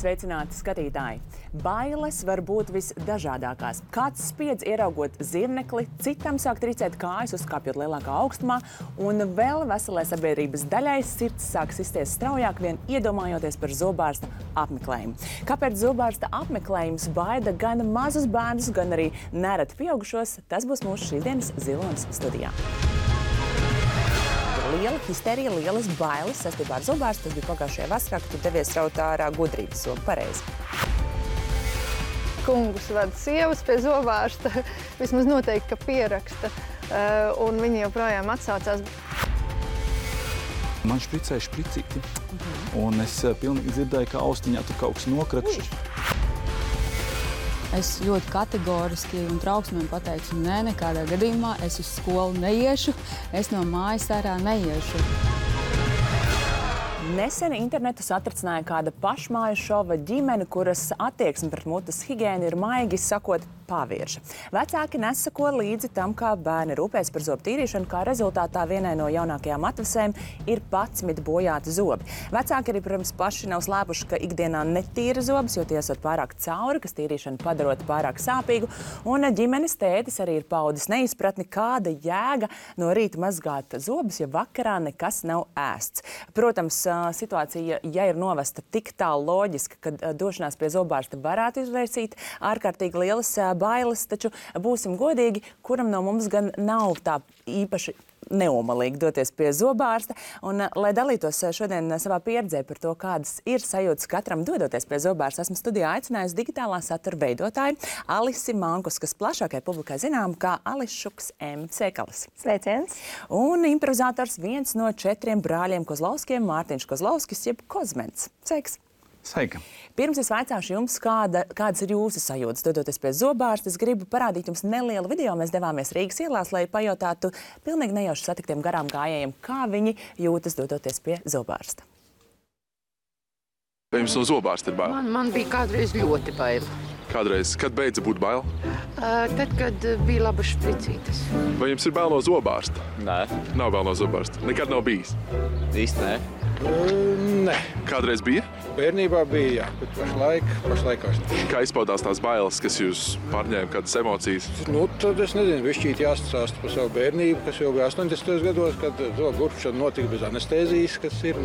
Sveicināti skatītāji! Bailes var būt visdažādākās. Kāds spiedz ieraugot zirnekli, citam sāk tricēt kājas, uzkāpjot lielākā augstumā, un vēl veselai sabiedrības daļai sirds sāk sisties straujāk vien iedomājoties par zobārsta apmeklējumu. Kāpēc zobārsta apmeklējums baida gan mazus bērnus, gan arī nereti pieaugušos, tas būs mūsu šīsdienas Zilonas studijā. Liela histerija, lielas bailes saistībā ar zobārstu. Tas bija pagājušajā vasarā, kad tu devies raut ārā gudrības zobu. Pareizi. Kungus vada sievas pie zobārsta, vismaz noteikti, ka pieraksta, un viņi joprojām atsaucās. Man špricēja špricīti, un es pilnīgi dzirdēju, ka austiņā tur kaut kas nokrakšs. Es ļoti kategoriski un trauksmēm pateicu, nē, nekādā gadījumā es uz skolu neiešu, es no mājas ārā neiešu. Nesen internetu satricināja kāda pašmāju šova ģimene, kuras attieksme pret mutes higiēnu ir maigi sakot pavirša. Vecāki nesako līdzi tam, kā bērni rūpēs par zobu tīrīšanu, kā rezultātā vienai no jaunākajām atvasēm ir 11 bojāti zobi. Vecāki arī, protams, paši nav slēpuši, ka ikdienā netīra zobus, jo tie esot pārāk cauri, kas tīrīšanu padarot pārāk sāpīgu, un ģimenes tētis arī ir paudis neizpratni, kāda jēga no rīta mazgāt zobus, ja vakarā nekas nav ēsts. Protams, situācija, ja ir novesta tik tālu loģiski, ka došanās pie zobārsta varētu izraisīt ārkārtīgi lielas bailes, taču būsim godīgi, kuram no mums gan nav tā īpaši neomalīgi doties pie zobārsta. Un, lai dalītos šodien savā pieredzē par to, kādas ir sajūtas katram dodoties pie zobārsta, esmu studijā aicinājusi digitālā satura veidotāju Alisi Mankus, kas plašākai publikai zinām kā Ališuks M. Cekalis. Sveiciens! Un improvizators viens no 4 brāļiem Kozlovskiem, Mārtiņš Kozlovskis, jeb Kozmens. Sveiks! Sveika! Pirms es vaicāšu jums, kādas ir jūsu sajūtas dodoties pie zobārsta, es gribu parādīt jums nelielu video. Mēs devāmies Rīgas ielās, lai pajautātu pilnīgi nejauši satiktiem garām gājējiem, kā viņi jūtas dodoties pie zobārsta. Vai jums no zobārsta ir bail? Man bija kādreiz ļoti bail. Kādreiz? Kad beidza būt bail? Tad, kad bija labas špricītes. Vai jums ir bail no zobārsta? Nē. Nav bail no zobārsta? Nekad nav bijis? Īsti nē. Nē. Kādreiz bija? Bērnībā bija, jā, bet pašlaik vairs. Kā izpaudās tās bailes, kas jūs pārņēma, kādas emocijas? Tad es nezinu, višķīt jāstāsta par savu bērnību, kas jau bija 80. gados, kad zobu urpšana notika bez anestēzijas, kas ir,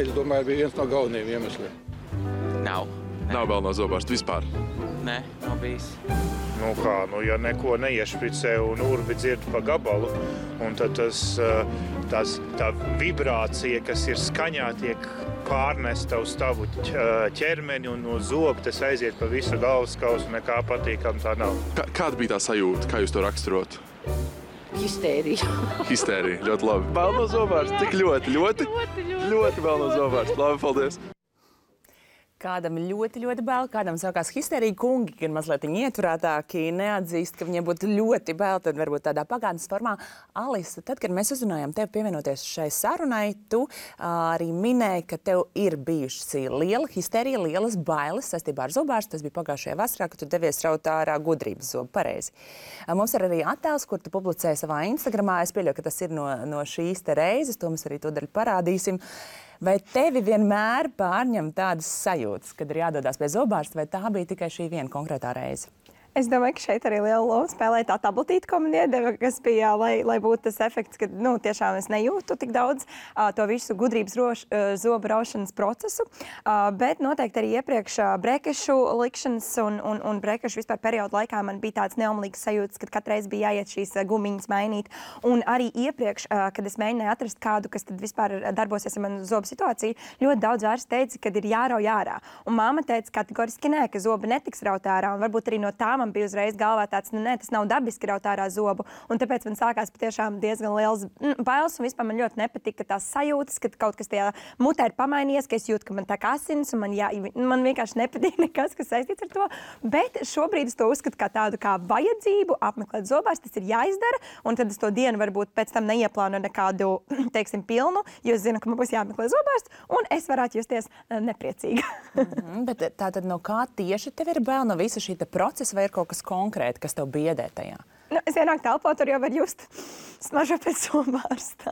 es domāju, bija viens no galvenajiem iemesliem. Nav. Nav bail no zobārsta vispār? Nē, nav bijis. Ja neko neiešpricē un urbi dzird pa gabalu, un tad tā vibrācija, kas ir skaņā, tiek pārnesta uz tavu ķermeni un uz zobu, tas aiziet pa visu galvaskausu, nekā patīkam tā nav. Kāda bija tā sajūta? Kā jūs to raksturot? Histērija. Histērija, ļoti labi. Bail no zobārsta? Cik ļoti? Ļoti bail no zobārsta. Labi, paldies. Kādam ļoti bail, kādam sākās histerija. Kungi, gan mazliet ieturētāki, neatzīst, ka viņiem būtu ļoti bail, tad varbūt tādā pagātnes formā. Alisa, tad, kad mēs uzrunājām tevi pievienoties šai sarunai, tu arī minēji, ka tev ir bijusi liela histerija, lielas bailes saistībā ar zobārstu. Tas bija pagājušajā vasarā, kad tu devies raut ārā gudrības zobu. Pareizi. Mums ir arī attēls, kur tu publicēji savā Instagramā. Es pieļauju, ka tas ir no šīs te reizes, to mēs arī tūdaļ parādīsim. Vai tevi vienmēr pārņem tādas sajūtas, kad ir jādodas pie zobārsta, vai tā bija tikai šī viena konkrētā reize? Es domāju, ka šeit arī liela loma spēlē tā tabletīte, ko man iedeva, kas bija, lai būtu tas efekts, ka tiešām es nejūtu tik daudz to visu gudrības zobu raušanas procesu, bet noteikti arī iepriekš brekešu likšanas un brekešu vispār periodu laikā man bija tāds neomlīgs sajūtas, kad katreiz bija jāiet šīs gumiņas mainīt. Un arī iepriekš, kad es mēģināju atrast kādu, kas tad vispār darbosies ar manu zobu situāciju, ļoti daudz vairs teica, kad ir jārauj ārā. Un māma teica kategoriski nē, ka zobi netiks raut ārā, un varbūt arī no tā man bija uzreiz galvā tāds, nē, tas nav dabiski raut ārā zobu. Un tāpēc man sākās patiešām diezgan liels bailes, un vispār man ļoti nepatika tās sajūtas, ka kaut kas tajā mutē ir pamainījies, ka es jūtu, ka man tā kā asins, un man vienkārši nepatīk nekas, kas saistīts ar to. Bet šobrīd es to uzskatu kā tādu kā vajadzību apmeklēt zobārstu, tas ir jāizdara, un tad es to dienu varbūt pēc tam neieplānu nekādu, teiksim, pilnu, jo es zinu, ka man būs jāapmeklē zobārsts, un es varētu justies nepriecīga. Bet tātad no kā tieši tev ir bail no visa šī procesa, vai ir kaut kas konkrēti, kas tev biedē tajā? es ienāku telpā, tur jau var just smaržo pēc zobārsta.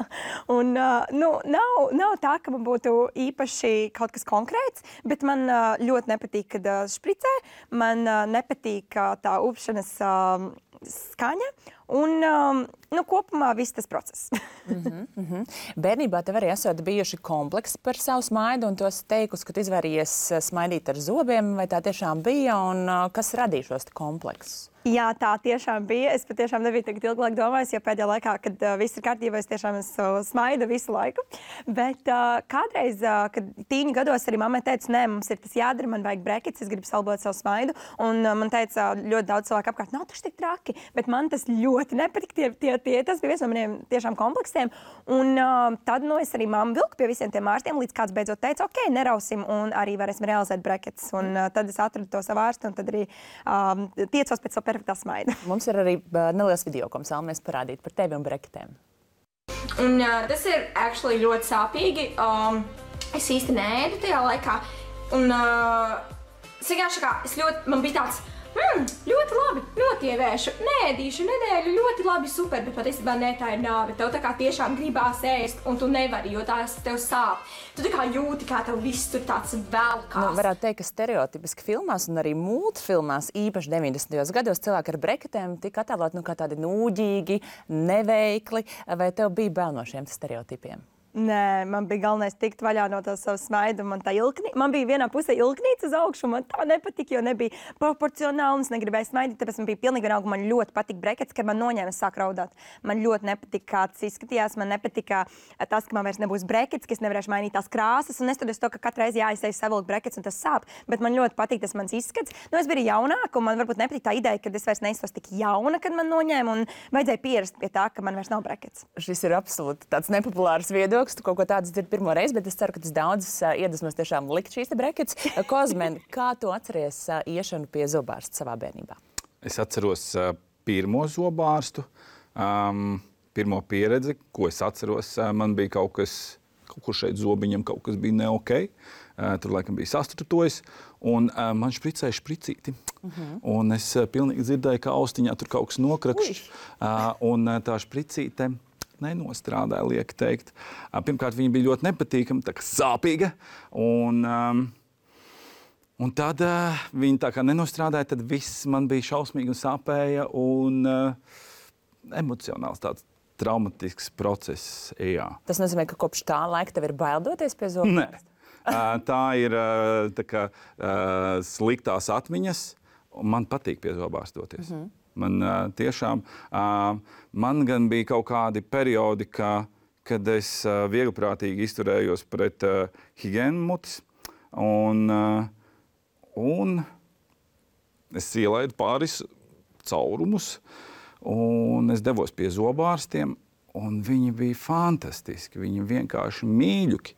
Un nav tā, ka man būtu īpaši kaut kas konkrēts, bet man ļoti nepatīk, kad špricē, man nepatīk tā upšanas skaņa un kopumā viss tas process. Bērnībā tev arī esot bijuši kompleksi par savu smaidu un tos teikusi, ka tu izvairījies smaidīt ar zobiem, vai tā tiešām bija un kas radīja šos kompleksus? Jā, tā tiešām bija. Es patiešām nebiju tagad ilgāk domājis, jo pēdējā laikā, kad viss ir kārtībā, es tiešām smaidu visu laiku. Bet kādreiz, kad tīņu gados arī mammai teica, nē, mums ir tas jādara, man vajag brekets, es gribu salabot savu smaidu. Un man teica ļoti daudz cilvēku apkārt, nav taču tik traki, bet man tas ļoti nepatīk. Tas bija viens no maniem tiešām kompleksiem. Un tad es arī mammu vilku pie visiem tiem ārstiem, līdz kāds beidzot teica, ok, nerausim un arī varēsim realizēt brekets. Un tad es atradu to savu ārstu un tad arī tiecos pēc savu perfektā smaida. Mums ir arī neliels video, ko mēs vēlamies parādīt par tevi un breketēm. Un tas ir actually ļoti sāpīgi. Es īsti neēdu tajā laikā. Un man bija tāds, ļoti labi, notievēršu, neēdīšu nedēļu, ļoti labi, super, bet patiesībā ne, tā ir nāve. Tev tā kā tiešām gribās ēst, un tu nevari, jo tās tev sāp. Tu tā kā jūti, kā tev viss tur tāds velkās. Varētu teikt, ka stereotipiski filmās un arī multfilmās, īpaši 90. gados, cilvēki ar breketēm tika attēloti kā tādi nūģīgi, neveikli. Vai tev bija bail no šiem stereotipiem? Nē, man bija galvenais tikt vaļā no tā savu smaidu. Man bija vienā pusē ilknīca uz augšu, man tā nepatika, jo nebija proporcionāli, un es negribēju smaidīt, tāpēc man bija pilnīgi vienalga, man ļoti patika brekets, kad man noņēma, es sāku raudāt. Man ļoti nepatika, kā tas izskatījās, man nepatika tas, ka man vairs nebūs brekets, ka es nevarēšu mainīt tās krāsas, un neskatoties to, ka katru reizi jāizsēž savilkt brekets, un tas sāp, bet man ļoti patīk tas mans izskats. Es biju jaunāka, un man varbūt nepatīk tā ideja, ka es vairs neiztos tik jauna, kad man noņēma, un vajadzēja pierast pie tā, ka man vairs nav brekets. Šis ir absolūti tāds nepopulārs viedoklis. Tu kaut ko tādu dzirdi pirmo reizi, bet es ceru, ka tas daudzas iedvesmos tiešām likt šīs te brekets. Kozmen, kā tu atceries iešanu pie zobārsta savā bērnībā? Es atceros pirmo zobārstu, pirmo pieredzi, ko es atceros. Man bija kaut kur šeit zobiņam kaut kas bija ne ok. Tur laikam bija sastrutojis, un man špricēja špricīti. Un es pilnīgi dzirdēju, ka austiņā tur kaut kas nokrakšķis. Un tā špricīte nenostrādāja, liek teikt. Pirmkārt, viņa bija ļoti nepatīkama, tā kā sāpīga. Un tad viņa tā kā nenostrādāja, tad viss man bija šausmīgi un sāpēja. Un emocionāls tāds traumatisks process. Jā. Tas nozīmē, ka kopš tā laika tev ir bail doties pie zobārsta? Nē. Tā ir tā kā, sliktās atmiņas. Man patīk pie zobārsta doties. Man tiešām, man gan bija kaut kādi periodi, kad es viegliprātīgi izturējos pret higiēnu mutes, un es ielaidu pāris caurumus, un es devos pie zobārstiem, un viņi bija fantastiski, viņi vienkārši mīļuki.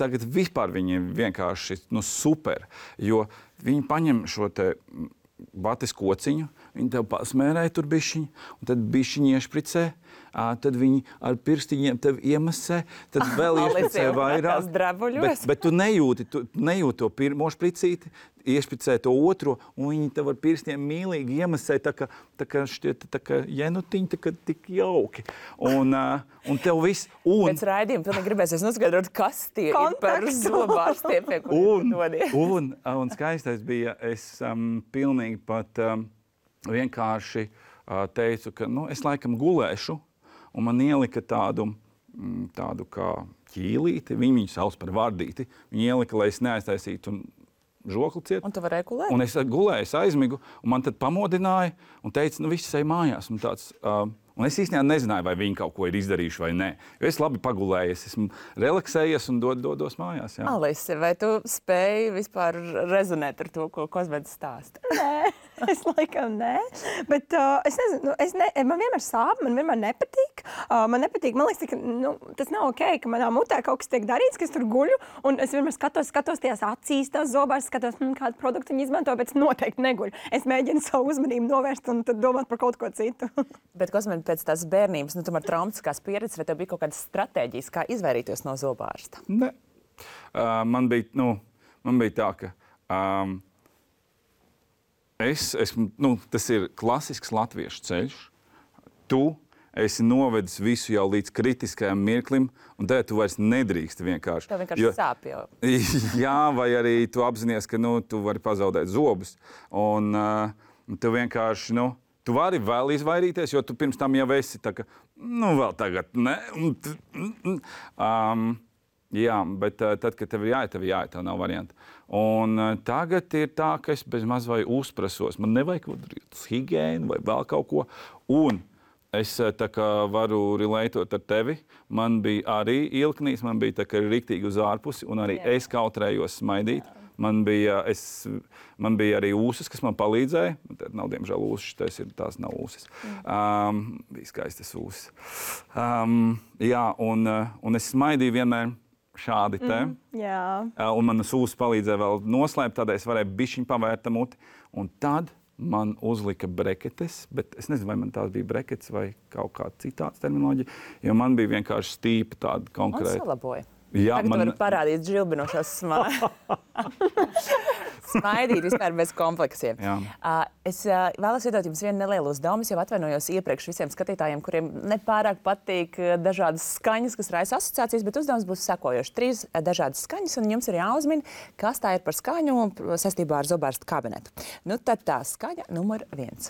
Tagad vispār viņi vienkārši super, jo viņi paņem šo te bates kociņu, viņi tev pasmērēja tur bišķiņu, un tad bišķiņi iešpricē, tad viņi ar pirstiņiem tev iemasē, tad vēl iešpricē vairāk. Bet tu nejūti to pirmo špricīti, iešpricē to otro, un viņi tev ar pirstiem mīlīgi iemasē, tā kā šķiet, tā kā jenutiņi, tā kā tik jauki. Un tev viss... Pēc raidījuma pilnīgi gribēsies noskaidrot, kas tie ir par zobārstiem, pie kuriem dodies. Un skaistais bija, es pilnīgi pat vienkārši teicu, ka es laikam gulēšu, un man ielika tādu kā ķīlīti, viņu sauc par vardīti, viņi ielika, lai es neaiztaisītu žokli ciet. Un tu varēji gulēt? Un es gulēju, es aizmigu, un man tad pamodināja un teica, viss ej mājās. Un es īstenībā nezināju, vai viņi kaut ko ir izdarījuši vai nē. Jo es labi pagulēju, es esmu relaksējies un dodos mājās. Jā. Alise, vai tu spēji vispār rezonēt ar to, ko Kozmens stāsta? Nē, es laikam nē. Bet es nezinu, man vienmēr sāp, man vienmēr nepatīk. Man liekas, ka tas nav ok, ka manā mutē kaut kas tiek darīts, ka es tur guļu. Un es vienmēr skatos tajās acīs, tās zobās, skatos, kādu produktu viņi izmanto, bet es noteikti neguļu. Es mēģinu savu uzmanību novērst un tad domāt par kaut ko citu. Bet, Kozmen, pēc tās bērnības, tomēr traumatiskās pieredzes, vai tev bija kaut kādas stratēģijas, kā izvairīties no zobārsta? Ne. Man bija tā, ka tas ir klasisks latviešu ceļš. tu esi novedis visu jau līdz kritiskajam mirklim, un tad tu vairs nedrīkst vienkārši. Tev vienkārši sāp jau. Jā, vai arī tu apzinies, ka tu vari pazaudēt zobus. Un tu vienkārši, tu vari vēl izvairīties, jo tu pirms tam jau esi tā kā, vēl tagad, ne? Jā, bet tad, kad tev ir jāiet, tev nav variantu. Un tagad ir tā, ka es bez maz vai uzprasos. Man nevajag uz higiēnu vai vēl kaut ko. Un es tā kā varu relatot ar tevi. Man bija arī ilknīs, man bija tā kā riktīgi uz ārpusi, un arī es kautrējos smaidīt. Man bija arī ūsas, kas man palīdzēja. Tad nav, diemžēl, ūsas, tās nav ūsas. Bija skaistas ūsas. Jā, un es smaidīju vienmēr šādi te. Un manas ūsas palīdzēja vēl noslēpt, tādēļ es varēju bišķiņ pavērt muti. Un tad man uzlika breketes, bet es nezinu, vai man tās bija breketes vai kaut kāda citāds terminoloģija, jo man bija vienkārši stīpa tāda konkrēta. Un salaboja. Jā, tagad varu parādīt žilbinošās smaidīt vispār bez kompleksiem. Es vēlos iedot jums vienu nelielu uzdevumu. Es jau atvainojos iepriekš visiem skatītājiem, kuriem nepārāk patīk dažādas skaņas, kas raisa asociācijas, bet uzdevums būs sekojošs. 3 dažādas skaņas, un jums ir jāuzmina, kas tā ir par skaņu saistībā ar zobārsta kabinetu. Tad tā skaņa numur 1.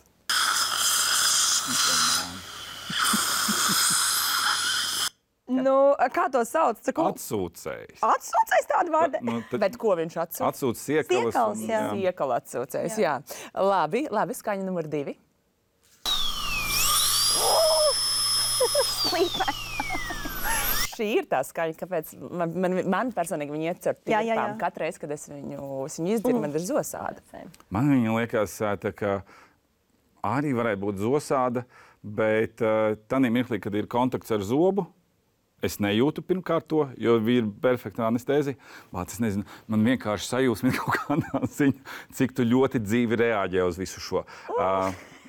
Kā to sauc? Atsūcējs. Atsūcējs tādu vārdu? Bet ko viņš atsūc? Atsūc siekalas. Siekala atsūcējs, jā. Labi, skaņa numur 2. Šī ir tā skaņa, kāpēc man personīgi viņa iet caur tīrpām. Katru reizi, kad es viņu izdzirdu, man ir zosāda. Man viņa liekas, tā kā arī varētu būt zosāda, bet tādā mirklī, kad ir kontakts ar zobu, es nejūtu pirmkārt to, jo ir perfekta anestēzija. Es nezinu, man vienkārši sajūsmina kaut kādā ziņā, cik tu ļoti dzīvi reaģē uz visu šo.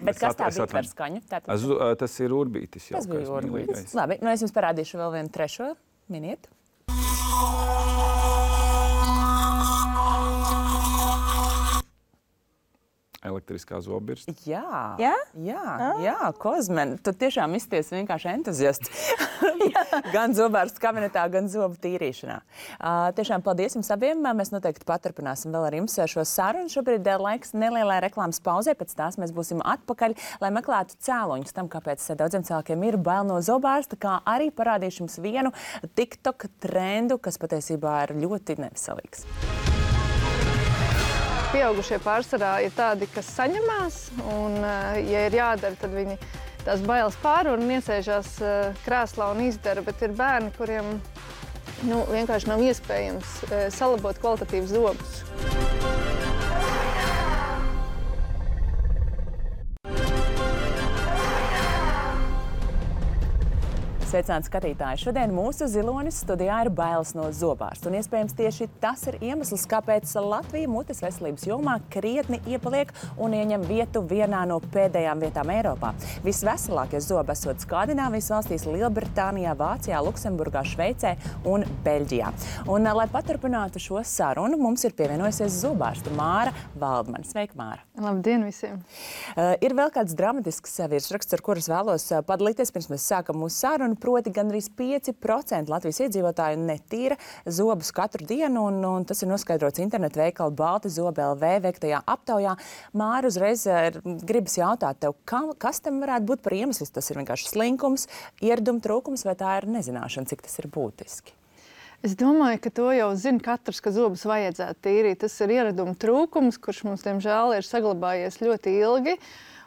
Bet kas tā bija par skaņu? Tas ir urbītis. Tas bija urbītis. Labi, es jums parādīšu vēl vienu trešo. Miniet. Elektriskā zobirsta. Jā, Kozmen, tu tiešām izties vienkārši entuziasts. Gan zobārsta kabinetā, gan zobu tīrīšanā. Tiešām paldies jums abiem. Mēs noteikti paturpināsim vēl ar jums šo sarunu. Šobrīd laiks nelielai reklāmas pauzē, pēc tās mēs būsim atpakaļ, lai meklētu cēloņus tam, kāpēc daudziem cilvēkiem ir bail no zobārsta, kā arī parādīšu jums vienu TikTok trendu, kas patiesībā ir ļoti neveselīgs. Pieaugušie pārsvarā ir tādi, kas saņemās, un, ja ir jādara, tad viņi tās bailes pārvar un iesēžās krēslā un izdara, bet ir bērni, kuriem vienkārši nav iespējams salabot kvalitatīvus zobus. Sveicināti skatītāji! Šodien mūsu zilonis studijā ir bailes no zobārsta. Un iespējams tieši tas ir iemesls, kāpēc Latvija mutes veselības jomā krietni iepaliek un ieņem vietu vienā no pēdējām vietām Eiropā. Visveselākie zobi esot Skandināvijas valstīs, Lielbritānijā, Vācijā, Luksemburgā, Šveicē un Beļģijā. Un, lai paturpinātu šo sarunu, mums ir pievienojusies zobārsta Māra Valdmane. Sveika, Māra! Labdien visiem! Ir vēl kāds dramatisks virsraksts, ar kuras vēlos padalīties, pirms mēs sākam mūsu sarunu. Proti, gandrīz 5% Latvijas iedzīvotāju netīra zobus katru dienu, un tas ir noskaidrots internetu veikala Balti Zobi LV veiktajā aptaujā. Māra, uzreiz gribas jautāt tev, kas tam varētu būt par iemeslu? Tas ir vienkārši slinkums, ieraduma trūkums, vai tā ir nezināšana, cik tas ir būtiski? Es domāju, ka to jau zina katrs, ka zobus vajadzētu tīrīt. Tas ir ieraduma trūkums, kurš mums, diemžēl, ir saglabājies ļoti ilgi.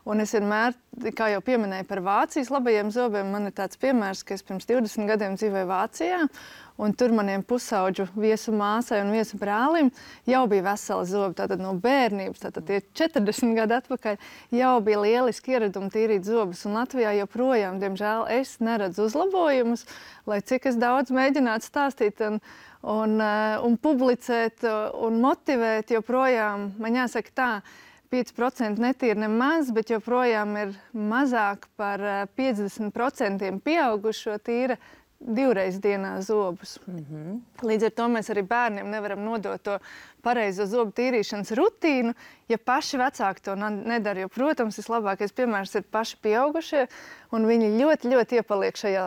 Un es vienmēr, kā jau pieminēju par Vācijas labajiem zobiem, man ir tāds piemērs, ka es pirms 20 gadiem dzīvoju Vācijā, un tur maniem pusauģu viesu māsai un viesu brālim jau bija veseli zobi. Tātad no bērnības, tātad tie 40 gadi atpakaļ, jau bija lieliski ieradumi tīrīt zobus. Un Latvijā joprojām, diemžēl, es neredzu uzlabojumus, lai cik es daudz mēģinātu stāstīt un publicēt un motivēt, joprojām, man jāsaka tā, 5% netīra nemaz, bet joprojām ir mazāk par 50% pieaugušo tīra 2 dienā zobus. Līdz ar to mēs arī bērniem nevaram nodot to pareizo zobu tīrīšanas rutīnu, ja paši vecāki to nedara. Jo, protams, vislabākais piemērs ir paši pieaugušie, un viņi ļoti, ļoti iepaliek šajā,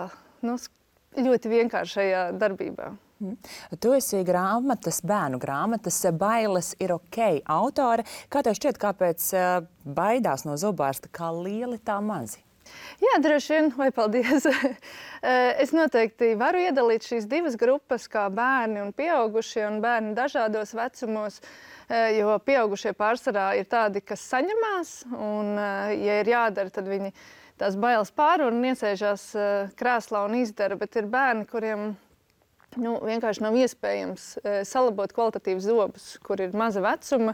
ļoti vienkāršajā darbībā. Tu esi bērnu grāmatas Bailes ir ok autore. Kā tev šķiet, kāpēc baidās no zobārsta, kā lieli tā mazi? Jā, droši vien, vai paldies. Es noteikti varu iedalīt šīs 2 grupas, kā bērni un pieaugušie, un bērni dažādos vecumos, jo pieaugušie pārsvarā ir tādi, kas saņemās, un, ja ir jādara, tad viņi tās bailes pārvar un iesēžās krēslā un izdara, bet ir bērni, kuriem vienkārši nav iespējams salabot kvalitatīvus zobus, kur ir maza vecuma.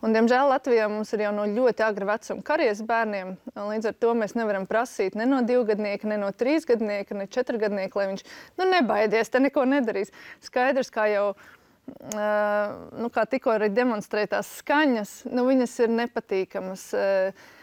Un, diemžēl, Latvijā mums ir jau no ļoti agra vecuma karies bērniem. Līdz ar to mēs nevaram prasīt ne no 2-gadnieka, ne no 3-gadnieka, ne 4-gadnieka, lai viņš nebaidies, te neko nedarīs. Skaidrs, kā jau kā tikko arī demonstrētās skaņas, viņas ir nepatīkamas.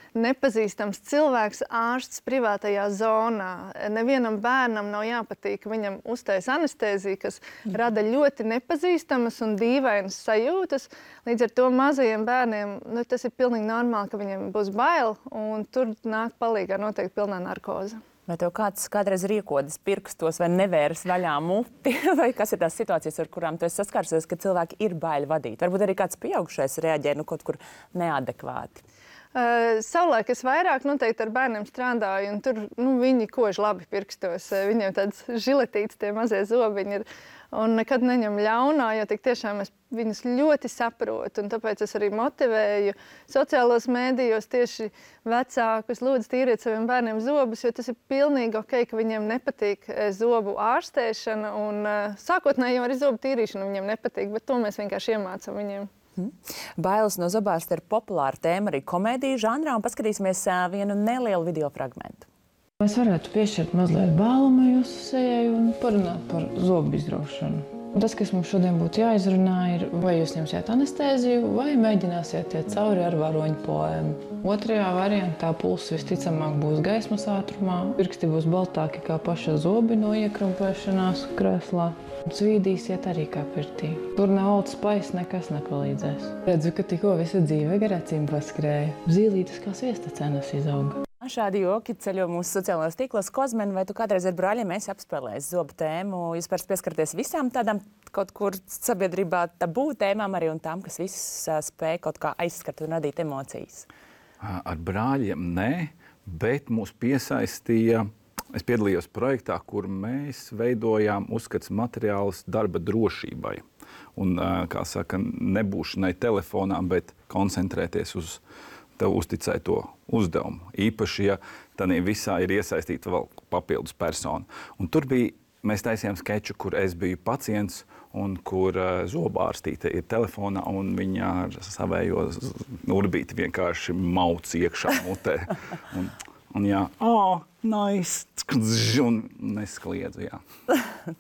Nepazīstams cilvēks, ārsts privātajā zonā. Nevienam bērnam nav jāpatīk, ka viņam uztais anestēzija, kas rada ļoti nepazīstamas un dīvainas sajūtas. Līdz ar to mazajiem bērniem tas ir pilnīgi normāli, ka viņiem būs bail, un tur nāk palīgā noteikti pilnā narkoze. Vai tev kādreiz riekodas pirkstos vai nevēras vaļā muti? Vai kas ir tās situācijas, ar kurām tu esi saskārusies, ka cilvēki ir baili vadīt? Varbūt arī kāds pieaugušais reaģē kaut kur neadekvāti. Savulaik es vairāk noteikti ar bērniem strādāju, un tur viņi kož labi pirkstos. Viņiem tāds žiletīts tie mazie zobiņi ir. Un nekad neņem ļaunā, jo tik tiešām es viņus ļoti saprotu. Un tāpēc es arī motivēju sociālos mēdījos tieši vecākus lūdzu tīriet saviem bērniem zobus, jo tas ir pilnīgi ok, ka viņiem nepatīk zobu ārstēšana. Un sākotnēji jau arī zobu tīrīšana viņiem nepatīk, bet to mēs vienkārši iemācam viņiem. Bailes no zobārsta ir populāra tēma arī komēdiju žanrā, un paskatīsimies vienu nelielu video fragmentu. Mēs varētu piešķirt mazliet bālumu jūsu sejai un parunāt par zobu izraušanu. Un tas, kas mums šodien būtu jāizrunā, ir, vai jūs ņemsiet anestēziju, vai mēģināsiet iet cauri ar varoņu poēmu. Otrajā variantā pulss visticamāk būs gaismas ātrumā, pirksti būs baltāki kā paša zobi no iekrumpēšanās krēslā. Svīdīsiet arī kā pirtī. Tur ne Old Spice nekas nepalīdzēs. Redzu, ka tikko visa dzīve gar acīm paskrēja. Zīlītes kā sviesta cenas izauga. Šādi joki ceļo mūsu sociālajos tīklos. Kozmen, vai tu kādreiz ar brāļiem esi apspēlējis zobu tēmu? Jūs parasti pieskarties visām tādām kaut kur sabiedrībā tabū tēmām arī un tām, kas visas spēj kaut kā aizskart un radīt emocijas? Ar brāļiem nē, bet mūs piesaistīja. Es piedalījos projektā, kur mēs veidojām uzskats materiālus darba drošībai. Un, kā saka, nebūšanai telefonā, bet koncentrēties uz tev uzticēto uzdevumu. Īpaši, ja tādā visā ir iesaistīta vēl papildus persona. Un tur mēs taisījām skeču, kur es biju pacients un kur zobārstīte ir telefonā un viņa ar savējo urbīti vienkārši mauc iekšā mutē. Un jā, nice, un neskliedzu, jā.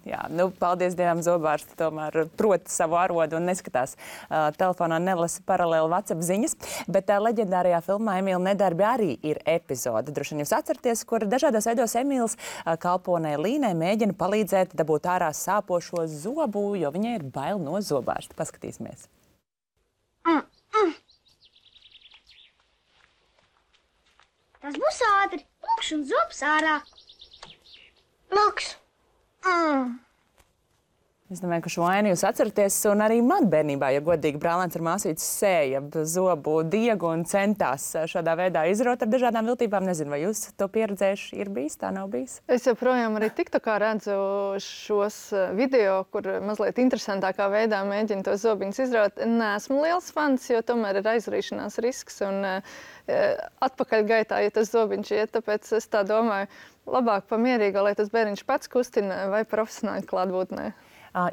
Jā, paldies Dievam, zobārsti tomēr proti savu arodu un neskatās telefonā, nelasa paralēli WhatsApp ziņas, bet leģendārajā filmā Emīla nedarbi arī ir epizode. Droši vien jūs atceraties, kur dažādos veidos Emīls kalponē Līnai mēģina palīdzēt dabūt ārā sāpošo zobu, jo viņai ir bail no zobārsta. Paskatīsimies. Tas būs ātri. Lūkšu un zobs ārā. Lūkšu. Es domāju, ka šo ainu jūs atceraties, un arī man bērnībā, ja godīgi, brālēns ar māsīti sēja zobu diegu un centās šādā veidā izraut ar dažādām viltībām. Nezinu, vai jūs to pieredzējuši, ir bijis, tā nav bijis? Es joprojām arī TikTokā redzu šos video, kur mazliet interesantākā veidā mēģina tos zobiņus izraut. Neesmu liels fans, jo tomēr ir aizrīšanās risks un atpakaļgaitā, ja tas zobiņš iet, tāpēc es tā domāju, labāk pamierīgā, lai tas bērniņš pats kustina vai profesionāli klātbūtnē.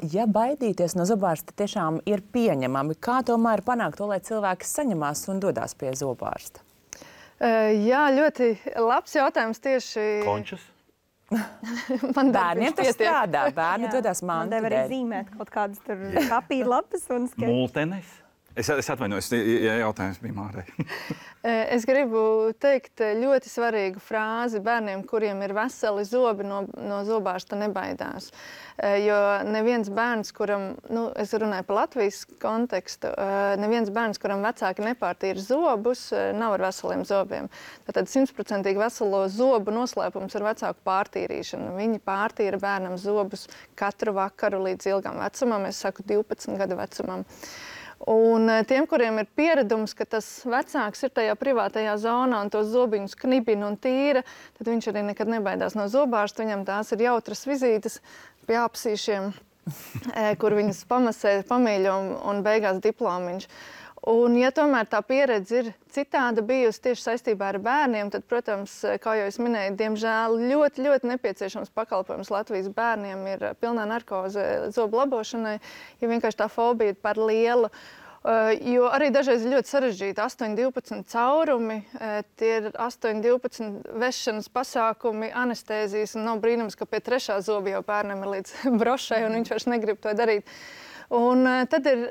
Ja baidīties no zobārsta tiešām ir pieņemami, kā tomēr panākt to, lai cilvēki saņemās un dodās pie zobārsta? Jā, ļoti labs jautājums tieši... Končas? Bērniem tas strādā, bērni dodās mantu dēļ. Man deva arī zīmēt kaut kādas tur papīra lapas un sketčus. Multenes? Es atvainojos, ja jautājums bija Mārai. Es gribu teikt ļoti svarīgu frāzi bērniem, kuriem ir veseli zobi, no zobārsta nebaidās. Jo neviens bērns, kuram, es runāju par Latvijas kontekstu, neviens bērns, kuram vecāki nepārtīra zobus, nav ar veseliem zobiem. Tātad 100% veselo zobu noslēpums ir vecāku pārtīrīšana. Viņi pārtīra bērnam zobus katru vakaru līdz ilgam vecumam, es saku 12 gadu vecumam. Un tiem, kuriem ir pieredums, ka tas vecāks ir tajā privātajā zonā un tos zobiņus knibina un tīra, tad viņš arī nekad nebaidās no zobārsta. Viņam tās ir jautras vizītes pie apsīšiem, kur viņas pamasē, pamīļo un beigās diplomiņš. Un, ja tomēr tā pieredze ir citāda bijusi tieši saistībā ar bērniem, tad, protams, kā jau es minēju, diemžēl ļoti, ļoti nepieciešams pakalpojums Latvijas bērniem ir pilnā narkoze zobu labošanai, jo vienkārši tā fobija ir par lielu. Jo arī dažreiz ir ļoti sarežģīti 8-12 caurumi, tie ir 8-12 vešanas pasākumi, anestēzijas, un nav brīnums, ka pie 3. zoba jau bērnam ir līdz brošai, un viņš vairs negrib to darīt. Un tad ir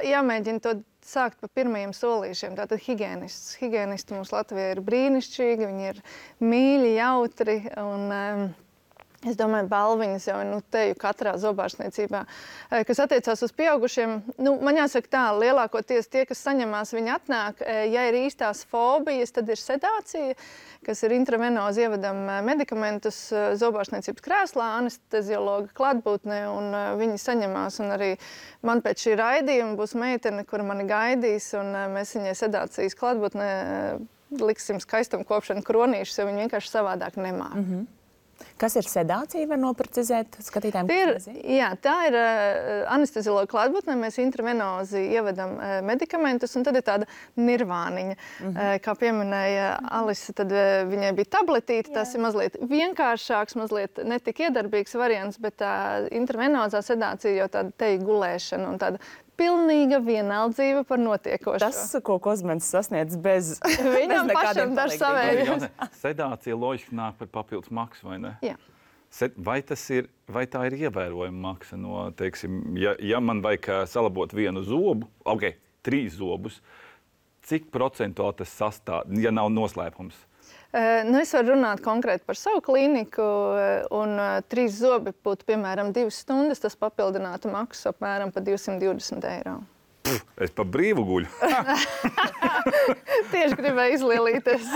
jāmēģina to sākt pa pirmajiem solīšiem. Tātad higienists. Higienisti mums Latvijā ir brīnišķīgi, viņi ir mīļi, jautri, un es domāju, balviņas jau teju katrā zobārstniecībā. Kas attiecās uz pieaugušiem, man jāsaka tā, lielākoties tie, kas saņemās, viņi atnāk, ja ir īstās fobijas, tad ir sedācija, kas ir intravenozi ievedam medikamentus zobārstniecības krēslā, anesteziologa klātbūtnē, un viņi saņemās, un arī man pēc šī raidījuma būs meitene, kura mani gaidīs, un mēs viņai sedācijas klātbūtnē liksim skaistumkopšanu kronīšus, jo viņi vienkārši savādāk nemāk. Kas ir sedācija, var noprecizēt skatītājiem? Tā ir anesteziologa klātbūtnē, mēs intravenozi ievedam medikamentus, un tad ir tāda nirvāniņa. Kā pieminēja Alise, tad viņai bija tabletīte, tas ir mazliet vienkāršāks, mazliet netik iedarbīgs variants, bet tā intravenozā sedācija jau tāda teju gulēšana un tāda pilnīga vienaldzība par notiekošo. Tas, ko Kozmens sasniedz bez Viņam pašam dažs savējums. Sedācija loģiski nāk par papildus maksu, vai ne? Jā. Vai tā ir ievērojama maksa no, teiksim, ja man vajag salabot vienu zobu, 3 zobus, cik procentuāli tas sastāv, ja nav noslēpums? Es varu runāt konkrēti par savu klīniku, un 3 zobi būtu, piemēram, 2 stundas, tas papildinātu maksu apmēram pa 220 €. Es pa brīvu guļu. Tieši gribēju izlielīties.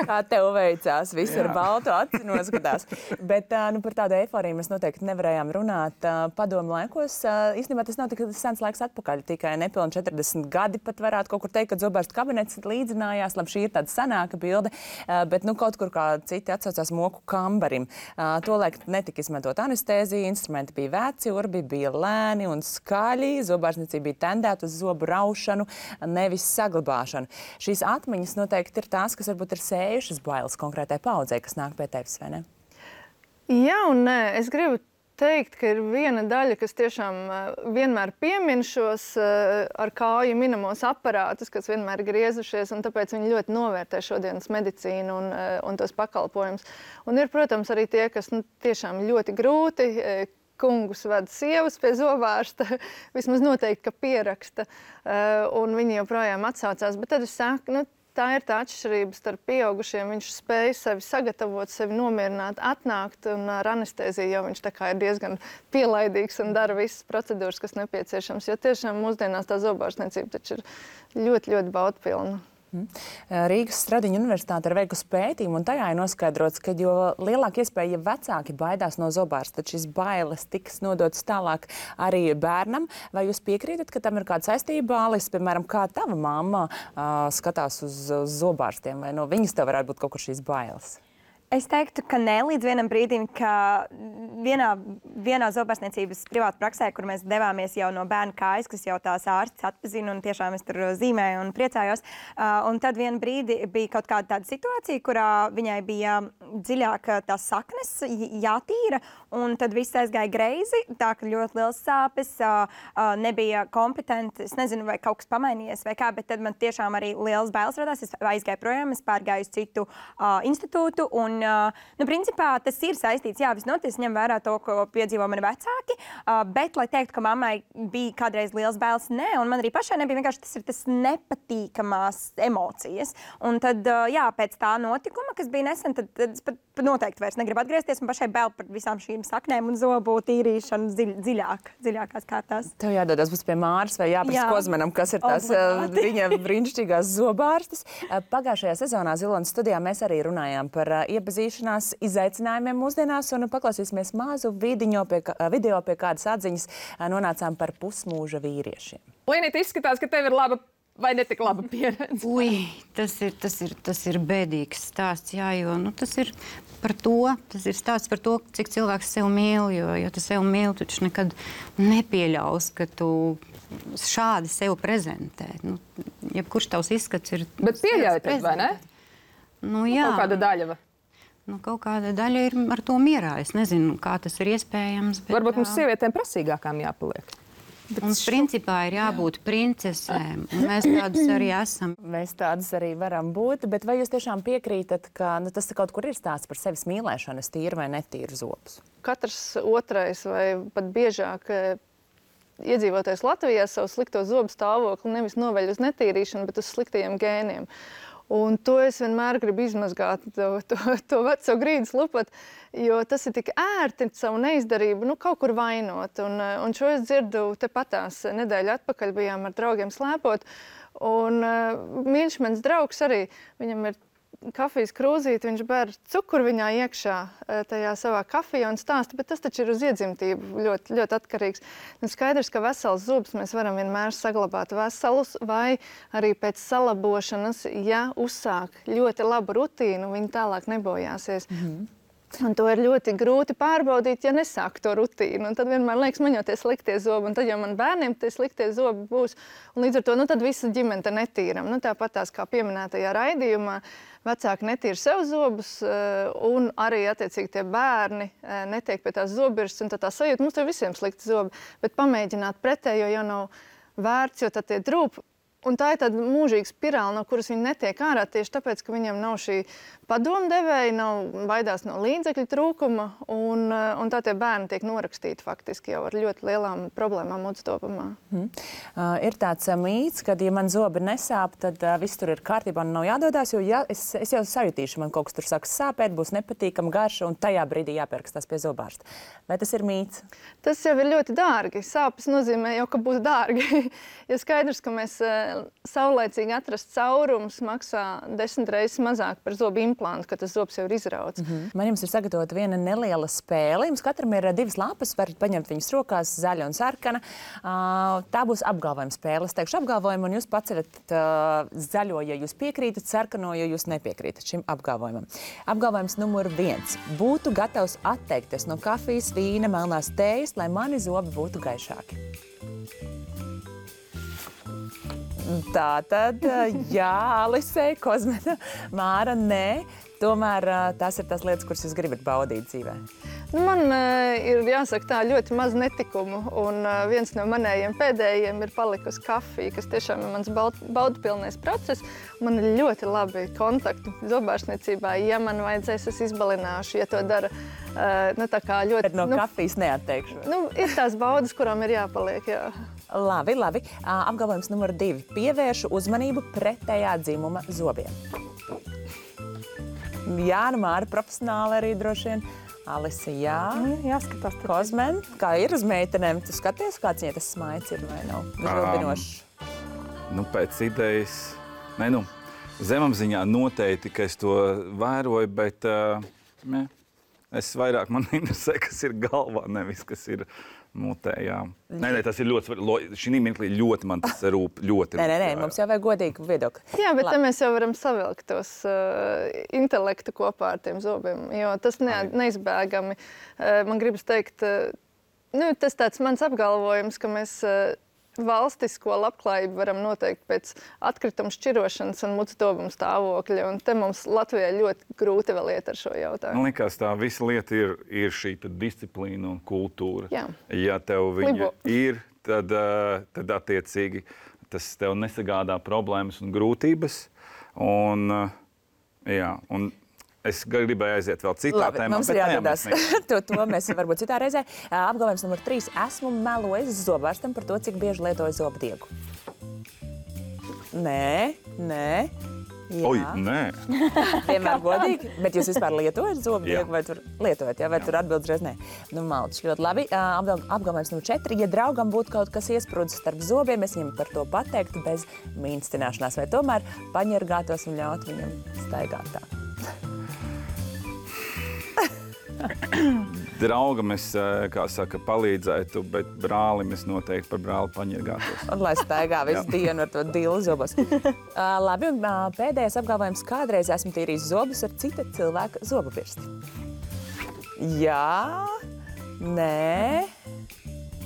Kā tev veicās, viss ar baltu aci noskatās. Bet par tādu eiforiju mēs noteikti nevarējām runāt padomu laikos. Īstenībā tas nav tik sens laiks atpakaļ, tikai nepilni 40 gadi pat varētu kaut kur teikt, kad zobārsta kabinets līdzinājās. Labi, šī ir tāda senāka bilde, bet kaut kur kā citi atsaucās moku kambarim. Tolaik netika izmantot anestēzija, instrumenti bija veci, urbi bija lēni un skaļi, zobārstniecība bija tendēta uz zobu raušanu, nevis saglabāšanu. Šīs atmiņas noteikti ir tās, kas varbūt ir sējušas bailes konkrētai paudzei, kas nāk pie tevis, vai ne? Jā un nē. Es gribu teikt, ka ir viena daļa, kas tiešām vienmēr piemin šos ar kāju minamos aparātus, kas vienmēr griezušies, un tāpēc viņi ļoti novērtē šodienas medicīnu un tos pakalpojumus. Un ir, protams, arī tie, kas tiešām ļoti grūti kungus ved sievas pie zobārsta, vismaz noteikti, ka pieraksta, un viņi joprojām atsaucās. Bet tad es saku, tā ir tā atšķirība starp pieaugušiem. Viņš spēj sevi sagatavot, sevi nomierināt, atnākt, un ar anestēziju jau viņš tā kā ir diezgan pielaidīgs un dara visas procedūras, kas nepieciešams. Jo tiešām mūsdienās tā zobārstniecība taču ir ļoti, ļoti baudpilna. Rīgas Stradiņa universitāte ir veikusi pētījumu, un tajā ir noskaidrots, ka jo lielāka iespēja, ja vecāki baidās no zobārsta, tad šis bailes tiks nodotas tālāk arī bērnam. Vai jūs piekrītat, ka tam ir kāda saistība? Alis, piemēram, kā tava mamma skatās uz zobārstiem, vai no viņas tev varētu būt kaut kur šīs bailes? Es teiktu, ka ne līdz vienam brīdim, ka vienā zobārstniecības privātu praksē, kur mēs devāmies jau no bērna kājas, kas jau tās ārsts atpazina, un tiešām es tur zīmēju un priecājos. Un tad vienu brīdi bija kaut kāda tāda situācija, kurā viņai bija dziļāk tās saknes jātīra, un tad viss aizgāja greizi, tā ka ļoti liels sāpes, nebija kompetenti, es nezinu, vai kaut kas pamainījies vai kā, bet tad man tiešām arī liels bailes radās. Es aizgāju projām, es pārgāju uz citu institūtu, un principā, tas ir saistīts, jā, visnotaļ ņem vērā to, ko piedzīvo mani vecāki, bet, lai teiktu, ka mammai bija kādreiz liels bailes, nē, un man arī pašai nebija, vienkārši tas nepatīkamās emocijas. Un tad, jā, pēc tā notikuma, kas bija nesen, tad es pat noteikti vairs negribu atgriezties, un pašai bail par visām šīm saknēm un zobu tīrīšanu dziļākās kārtās. Tev jādodas būs pie Māras vai jāprasa Kozmenam, kas ir tās viņa brīnišķīgās zobārstes. Pagājušajā sezonā Zilonas studijā mēs arī runājām par iepazīšanās izaicinājumiem mūsdienās un paklausīsimies mazu video, pie kādas atziņas nonācām par pusmūža vīriešiem. Linita, izskatās, ka tev ir laba vai netik laba pieredze. Ui, tas ir bēdīgs stāsts, jā, jo tas ir stāsts par to, cik cilvēks sev mīl, jo tu sev mīli, tu taču nekad nepieļaus, ka tu šādi sev prezentē. Jebkurš tavs izskats ir... Bet pieļauj tad, vai ne? Jā. Kaut kāda daļa. Kaut kāda daļa ir ar to mierā. Es nezinu, kā tas ir iespējams. Bet, varbūt mums sievietēm prasīgākām jāpaliek. Mums principā ir jābūt princesēm, un mēs tādas arī esam. Mēs tādas arī varam būt, bet vai jūs tiešām piekrītat, ka tas kaut kur ir stāsts par sevis mīlēšanu, es tīru vai netīru zobus? Katrs otrais vai pat biežāk iedzīvotājs Latvijā savu slikto zobu stāvokli nevis noveļ uz netīrīšanu, bet uz sliktajiem gēniem. Un to es vienmēr gribu izmazgāt, to veco grīdas lupatu, jo tas ir tik ērti savu neizdarību, kaut kur vainot. Un šo es dzirdu tepatās nedēļu atpakaļ bijām ar draugiem slēpot. Un mīļš mans draugs arī, viņam ir kafijas krūzīti, viņš ber cukuru viņā iekšā tajā savā kafijā un stāsta, bet tas taču ir uz iedzimtību ļoti, ļoti atkarīgs. Un skaidrs, ka vesels zobs mēs varam vienmēr saglabāt veselus, vai arī pēc salabošanas, ja uzsāk ļoti labu rutīnu, viņi tālāk nebojāsies. Un to ir ļoti grūti pārbaudīt, ja nesāk to rutīnu. Un tad vienmēr liekas, man jau tie sliktie zobi, un tad jau man bērniem tie sliktie zobi būs. Un līdz ar to, tad visa ģimene netīram. Tāpatās kā pieminētajā raidījumā, vecāki netīra sev zobus, un arī attiecīgi tie bērni netiek pie tās zobirstas, un tad tā sajūta, mums ir visiem slikti zobi, bet pamēģināt pretējo jau nav vērts, jo tad tie drūp. Un tā ir tāda mūžīga spirāla, no kuras viņi netiek ārā tieši tāpēc, ka viņiem nav šī padomdevēja, baidās no līdzekļu trūkuma, un tā tie bērni tiek norakstīti faktiski jau ar ļoti lielām problēmām mutstopamā. Ir tāds mīts, ka, ja man zobi nesāp, tad viss tur ir kārtībā un nav jādodās, jo es jau sajutīšu, man kaut kas tur sāks sāpēt, būs nepatīkama garša, un tajā brīdī jāpierakstās pie zobārsta. Vai tas ir mīts? Tas jau ir ļoti dārgi. Sāpes nozīmē jau, ka būs dārgi. Ja skaidrs, ka mēs saulēcīgi atrast caurumus maksā 10 reizes mazāk par zobu implantu, kad tas zobs jau ir izrauts. Man jums ir sagatavota viena neliela spēle. Jums katram ir 2 lapas, varat paņemt viņas rokās, zaļa un sarkana. Tā būs apgalvojuma spēle. Es teikšu apgalvojumu, un jūs paceļat zaļo, ja jūs piekrītat, sarkano, ja jūs nepiekrītat šim apgalvojumam. Apgalvojums numur 1. Būtu gatavs atteikties no kafijas, vīna, melnās tējas, lai mani zobi būtu gaišāki. Tātad, jā, Alisei, Kozmena, Māra, nē. Tomēr tās ir tās lietas, kuras jūs gribat baudīt dzīvē. Man ir jāsaka tā ļoti maz netikumu, un viens no manējiem pēdējiem ir palikusi kafija, kas tiešām ir mans baudupilnais process. Man ir ļoti labi kontakti zobārstniecībā. Ja man vajadzēs, es izbalināšu, ja to dara tā kā ļoti... Bet no kafijas neatteikšu. Ir tās baudas, kurām ir jāpaliek, jā. Labi. Apgalvojums numur 2. Pievēršu uzmanību pretējā dzimuma zobiem. Jā, Māra profesionāli arī droši vien. Alise, jā. Jāskatās. Kozmen, kā ir uz meitenēm? Tu skaties, kāds viņai tas smaids ir vai nav? Uzrobinošs. Pēc idejas, zemapziņā noteikti, ka es to vēroju, bet es vairāk man interesē, kas ir galvā, nevis kas ir mutē, jā. Nē, tas ir ļoti svarīgi. Šī mirklī ļoti man tas rūp. Nē, mums jau vajag godīgu viedokli. Jā, bet te mēs jau varam savilkt tos intelektu kopā ar tiem zobiem, jo tas neizbēgami. Man gribas teikt, tas tāds mans apgalvojums, ka mēs valstisko labklājību varam noteikt pēc atkrituma šķirošanas un mutstopuma stāvokļa. Un te mums Latvijā ļoti grūti vēl iet ar šo jautājumu. Man liekas, tā visa lieta ir šī disciplīna un kultūra. Jā. Ja tev viņa ir, tad attiecīgi tas tev nesagādā problēmas un grūtības. Un Es gribēju aiziet vēl citā tēmā. Mums ir jāatgadās. to mēs varbūt citā reizē. Apgalvojums numur 3. Esmu melojis zobārstam par to, cik bieži lietoju zobdiegu. Nē. Jā. Oi, nē. Vienmēr godīgi. Bet jūs vispār lietojat zobdiegu vai tur lietojat? Jā, vai tur atbildes reiz nē? Nu, maldies, ļoti labi. Apgalvojums numur 4. Ja draugam būtu kaut kas iesprūdis starp zobiem, es viņam par to pateiktu bez mīnstināšanās vai tomēr paņergātos un ļaut viņam staigāt tā. Draugam es, kā saka, palīdzētu, bet brālim es noteikti par brāli paņergātos. Un lai staigā visu dienu ar to dilu zobos. Labi, un pēdējais apgalvojums. Kādreiz esmu tīrījis zobus ar cita cilvēka zobu pirsti. Jā, nē.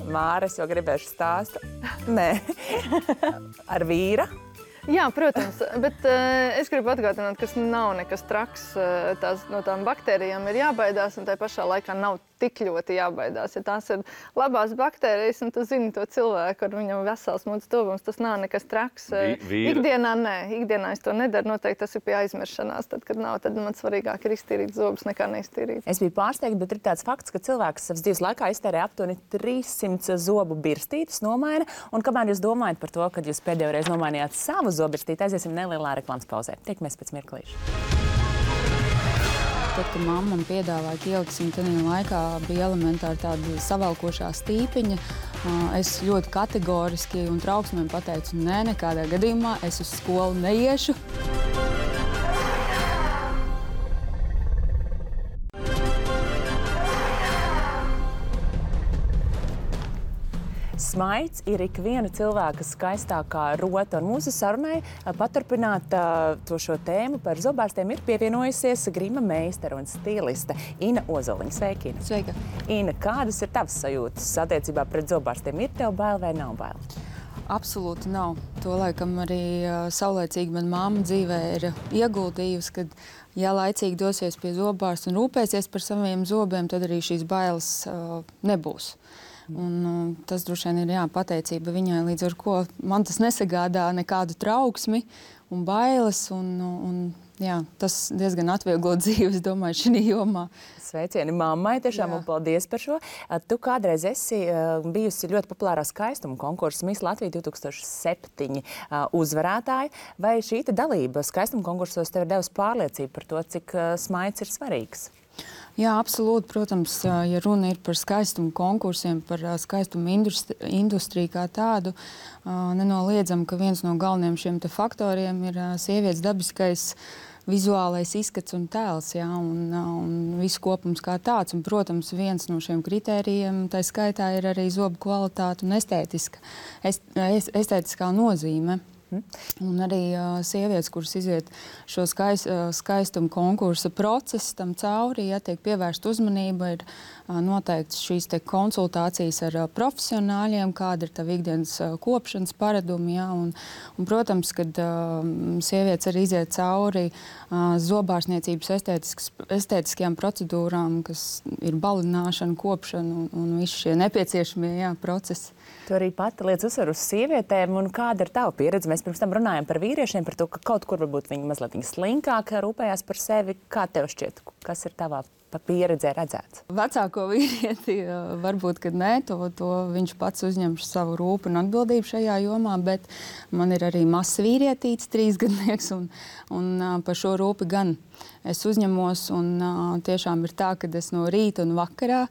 Māra, es jau gribēšu stāstu. Nē. Ar vīra. Jā, protams, bet es gribu atgādināt, ka nav nekas traks. No tām baktērijām ir jābaidās, un tai pašā laikā nav tik ļoti jābaidās. Ja tās ir labās baktērijas, un tu zini to cilvēku, ar viņam vesels mūds tuvums, tas nav nekas traks. Ikdienā nē, ikdienā es to nedaru, noteikti tas ir pie aizmiršanās. Tad, kad nav, tad man svarīgāk ir iztīrīt zobus nekā neiztīrīt. Es biju pārsteigta, bet ir tāds fakts, ka cilvēks savas dzīves laikā iztērē aptuveni 300 zobu birstītes nomaina, un kamēr jūs domājat par to, kad jūs pēdējo reizi nomainījāt savu zobirstīti, aiziesim nelielā reklāmas pauzē. Tiekamies pēc mirklīša. Tad, kad mamma man piedāvāja, ka ieliksim tādā laikā, bija elementāri tāda savalkošā stīpiņa. Es ļoti kategoriski un trauksmēm pateicu, nē, nekādā gadījumā es uz skolu neiešu. Smaids ir ikviena cilvēka skaistākā rota, un mūsu sarunai paturpināt šo tēmu par zobārstiem ir pievienojusies grima meistara un stiliste Ina Ozoliņa. Sveika, Ina! Sveika! Ina, kādas ir tavas sajūtas attiecībā pret zobārstiem? Ir tev bail vai nav bail? Absolūti nav. To laikam arī saulēcīgi man mamma dzīvē ir ieguldījusi, kad, ja laicīgi dosies pie zobārsta un rūpēsies par saviem zobiem, tad arī šīs bailes nebūs. Un tas droši vien ir pateicība viņai, līdz ar ko man tas nesagādā nekādu trauksmi un bailes. Tas diezgan atvieglo dzīvi, es domāju, šī jomā. Sveicieni mammai tiešām un paldies par šo. Tu kādreiz esi bijusi ļoti populārā skaistuma konkursa Miss Latvija 2007 uzvarētāja. Vai šī dalība skaistuma konkursos tev ir devusi pārliecību par to, cik smaids ir svarīgs? Jā, absolūti. Protams, ja runa ir par skaistumu konkursiem, par skaistumu industriju kā tādu, nenoliedzam, ka viens no galvenajiem šiem faktoriem ir sievietes dabiskais vizuālais izskats un tēls, un viss kopums kā tāds. Un, protams, viens no šiem kritērijiem, tā skaitā, ir arī zobu kvalitāte un estētiskā nozīme. Un arī sievietes, kuras iziet šo skaistumu konkursa procesu tam cauri, ja tiek pievērsta uzmanība, ir noteikti šīs konsultācijas ar profesionāļiem, kāda ir tā ikdienas kopšanas paradumi. Ja, un, protams, kad sievietes arī iziet cauri zobārstniecības estētiskajām procedūrām, kas ir balināšana, kopšana un visi šie nepieciešamie procesi. Tu arī pati liec uzsvaru uz sievietēm, un kāda ir tava pieredze? Mēs pirms tam runājam par vīriešiem, par to, ka kaut kur varbūt viņi mazliet slinkāk rūpējās par sevi. Kā tev šķiet, kas ir tavā pieredzē redzēts? Vecāko vīrieti varbūt, kad nē, to viņš pats uzņem savu rūpu un atbildību šajā jomā, bet man ir arī mazs vīrietīts, 3-gadnieks, un par šo rūpi gan es uzņemos, un tiešām ir tā, ka es no rīta un vakarā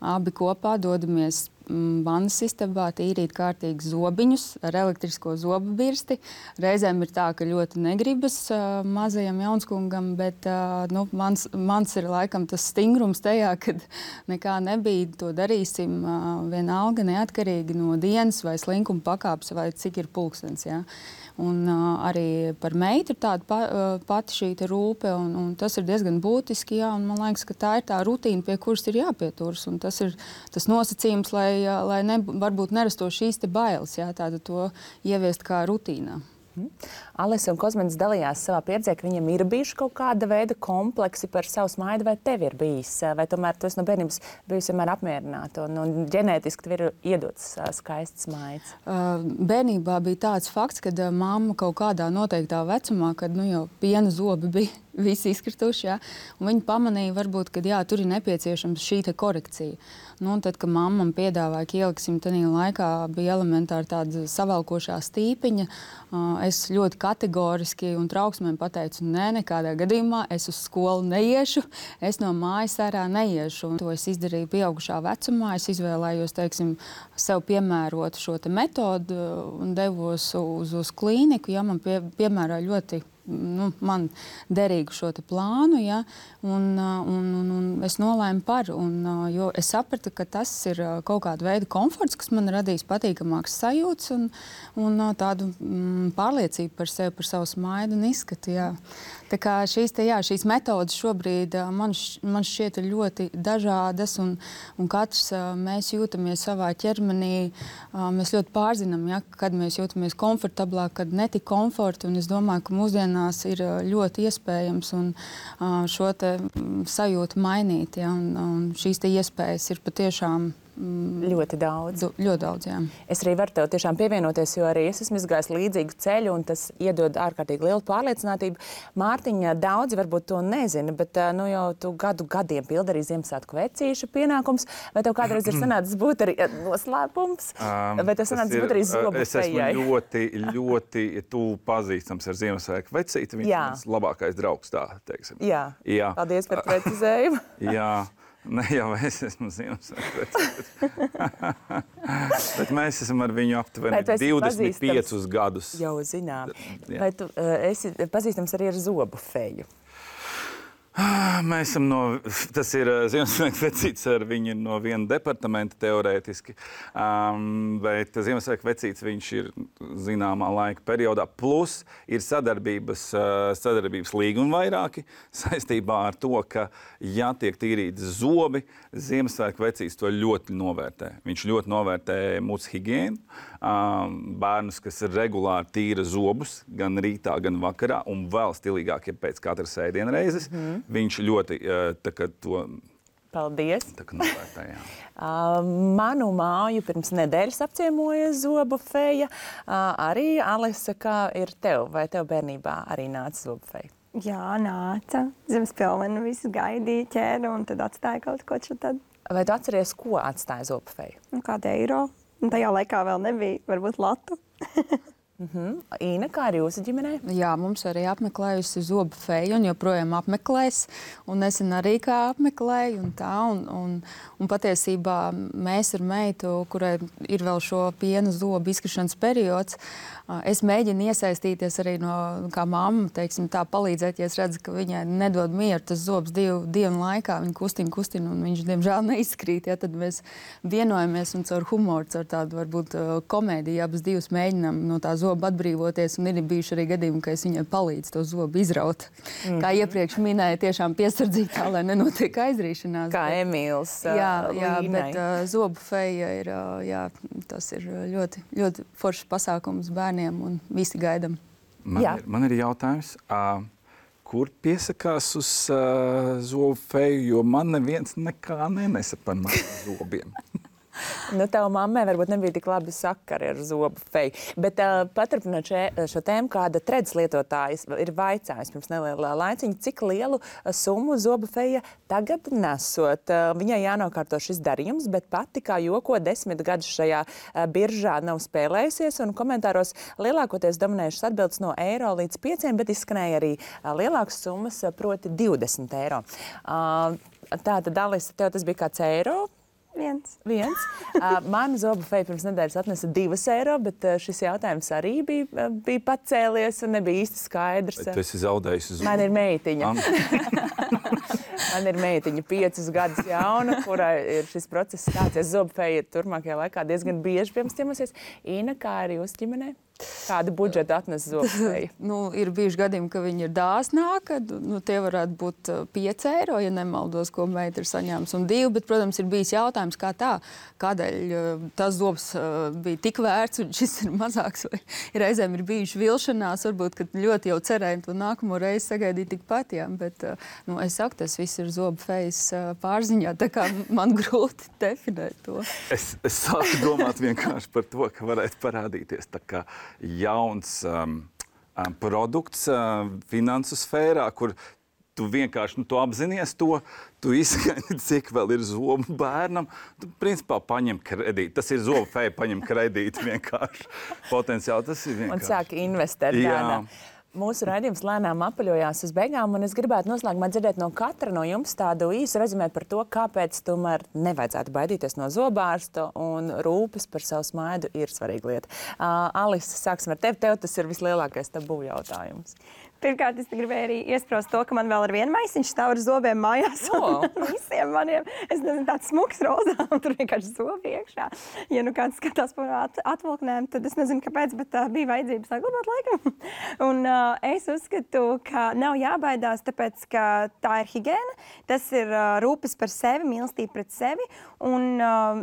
abi kopā dodamies vannas istabā tīrīt kārtīgi zobiņus ar elektrisko zobu birsti. Reizēm ir tā, ka ļoti negribas mazajam jaunskungam, bet mans ir laikam tas stingrums tajā, kad nekā nebija, to darīsim vienalga neatkarīgi no dienas vai slinkuma pakāpes vai cik ir pulkstens. Ja? Un arī par meitu ir tāda pati šī rūpe, un tas ir diezgan būtiski, jā, un man liekas, ka tā ir tā rutīna, pie kuras ir jāpieturas, un tas ir tas nosacījums, lai varbūt nerastos šīs bailes, jā, tāda to ieviest kā rutīnā. Alise un Kozmanis dalījās savā pieredzē, ka viņiem ir bijuši kaut kāda veida kompleksi par savu smaidu, vai tev ir bijis? Vai tomēr tu esi no bērnības bijusi vienmēr apmierināta un ģenētiski tev ir iedots skaists smaids? Bērnībā bija tāds fakts, kad mamma kaut kādā noteiktā vecumā, kad jau piena zobi bija visi izkrituši. Ja? Un viņi pamanīja, varbūt, ka jā, tur ir nepieciešams šī korekcija. Nu, un tad, kad mamma man piedāvāja, ka ieliksim tajā laikā, bija elementāri tāda savalkošā stīpiņa, es ļoti kategoriski un trauksmēm pateicu, nē, nekādā gadījumā es uz skolu neiešu, es no mājas ārā neiešu. Un to es izdarīju pieaugušā vecumā, es izvēlējos, teiksim, sev piemērot šo metodu un devos uz klīniku, ja man piemēroja ļoti man derīgu šo plānu, ja, un es nolēmu par, jo es sapratu, ka tas ir kaut kāda veida komforts, kas man radīs patīkamāks sajūts un tādu pārliecību par sevi, par savu smaidu un izskatu, jā. Tā kā šīs metodas šobrīd man šķiet ļoti dažādas un katrs mēs jūtamies savā ķermenī, mēs ļoti pārzinām, ja, kad mēs jūtamies komfortablāk, kad netik komforti, un es domāju, ka mūsdienās ir ļoti iespējams un šo te sajūtu mainīt, ja, un šīs te iespējas ir patiešām ļoti daudz. Ļoti daudz, jā. Es arī varu tev tiešām pievienoties, jo arī es esmu izgājis līdzīgu ceļu, un tas iedod ārkārtīgi lielu pārliecinātību. Mārtiņa, daudzi varbūt to nezina, bet jau tu gadiem pildi arī Ziemassvētku vecīša pienākums. Vai tev kādreiz ir sanācis būt arī noslēpums? Vai tev sanācis būt arī zobu fejai? Es esmu ļoti tuvu pazīstams ar Ziemassvētku vecīti. Viņš ir mans labākais draugs, tā teiksim. Jā. Paldies par precizējumu. Jā. Ne jau es esmu Ziemassvētku, bet mēs esam ar viņu aptuveni 25 gadus. Jau zinām. Vai tu esi pazīstams arī ar zobu feju? Mēs esam tas ir Ziemassvētku vecītis ar viņu no viena departamenta teorētiski, bet Ziemassvētku vecītis viņš ir zināmā laika periodā, plus ir sadarbības līgumi vairāki saistībā ar to, ka ja tiek tīrīti zobi, Ziemassvētku vecītis to ļoti novērtē. Viņš ļoti novērtē mūsu higiēnu, bērnus, kas regulāri tīra zobus, gan rītā, gan vakarā, un vēl stilīgāk, ja pēc katras ēdienreizes. Viņš ļoti to Paldies. Novērtē, jā. Manu māju pirms nedēļas apciemoja zobu feja. Arī, Alisa, kā ir tev? Vai tev bērnībā arī nāca zobu feja? Jā, nāca. Zemes pilvenu visu gaidīja, ķēra un tad atstāja kaut ko tad. Vai tu atceries, ko atstāja zobu feja? Kādu eiro. Un tajā laikā vēl nebija, varbūt latu. Īna, kā ar jūsu ģimenē? Jā, mums arī apmeklējusi zobu feju un joprojām apmeklēs. Un nesen arī kā apmeklēju un tā. Un patiesībā mēs ar meitu, kurai ir vēl šo piena zobu izkrišanas periods, es mēģinu iesaistīties arī kā mamma, teiksim, tā palīdzēt, ja es redzu, ka viņai nedod mieru tas zobs 2 dienu laikā, viņa kustina un viņš, diemžēl, neizkrīt. Ja, tad mēs vienojamies un caur humoru, caur tādu varbūt komēdiju, abas divas mēģinām no tā zoba atbrīvoties, un ir bijuši arī gadījumi, ka es viņai palīdzu to zobu izraut. Kā iepriekš minēju, tiešām piesardzīgi tā, lai nenotiek aizrīšanās. Kā Emīls Jā, bet zobu feja ir, tas ir ļoti, ļoti foršs pasākums bērniem un visi gaidam. Man ir jautājums, kur piesakās uz zobu feju, jo man neviens nekā nenesa par maniem zobiem. Tava mammai varbūt nebija tik labi sakari ar zobu feju. Bet paturpinot šo tēmu, kāda tredas lietotājs ir vaicājis pirms nelielā laiciņa, cik lielu summu zobu feja tagad nesot. Viņai jānokārto šis darījums, bet pati kā joko 10 gadus šajā biržā nav spēlējusies, un komentāros lielākoties dominējušas atbildes no eiro līdz 5, bet izskanēja arī lielākas summas, proti 20 eiro. Tātad, Alisa, tev tas bija kāds eiro? Viens. Mana zobu feja pirms nedēļas atnesa 2 eiro, bet šis jautājums arī bija pacēlies un nebija īsti skaidrs. Tu esi zaudējusi zobu. Man ir meitiņa. Man ir meitiņa 5 gadus jauna, kurai ir šis process sācies. Zobu feja turpmākajā laikā diezgan bieži pie mums ciemosies. Īna, kā arī jūsu ģimenē? Kādu budžetu atnes zobu feja? Ir bijuši gadījumi, ka viņi ir dāsnāki. Tie varētu būt 5 eiro, ja nemaldos, ko meita ir saņēmusi, un 2, bet, protams, ir bijis jautājums, kā tā, kādēļ tas zobs bija tik vērts un šis ir mazāks, vai reizēm ir bijuši vilšanās, varbūt, ka ļoti jau cerēju to nākamo reizi sagaidīt tikpat, jā, bet, es saku, tas viss ir zobu fejas pārziņā, tā kā man grūti definēt to. Es sāku domāt vienkārši par to, ka varētu parādīties tā kā jauns produkts finansu sfērā, kur tu vienkārši tu apzinies to, tu izskaidri, cik vēl ir zobu bērnam. Tu principā paņem kredītu. Tas ir zobu feja, paņem kredītu vienkārši. Potenciāli tas ir vienkārši. Un sāk investēt tādā. Mūsu raidījums lēnām apaļojās uz beigām, un es gribētu noslēgumā dzirdēt no katra no jums tādu īsu rezumē par to, kāpēc tomēr nevajadzētu baidīties no zobārsta un rūpes par savu smaidu ir svarīga lieta. Alisa, sāksim ar tevi. Tev tas ir vislielākais tabū jautājums. Pirmkārt, es gribēju arī iespraust to, ka man vēl ar vienu maisiņš stāv ar zobiem mājās. Visiem maniem, es nezinu, tāds smuks rozā, un tur vienkārši zobi iekšā. Ja nu kāds skatās par atvilknēm, tad es nezinu, kāpēc, bet bija vajadzības saglabāt laikam. Un es uzskatu, ka nav jābaidās, tāpēc, ka tā ir higiēna, tas ir rūpes par sevi, mīlestība pret sevi, un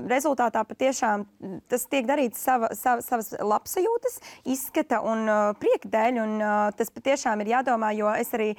rezultātā patiešām tas tiek darīts savas labsajūtas, izskata un prieka dēļ, un tas patiešām ir jādomā, jo es arī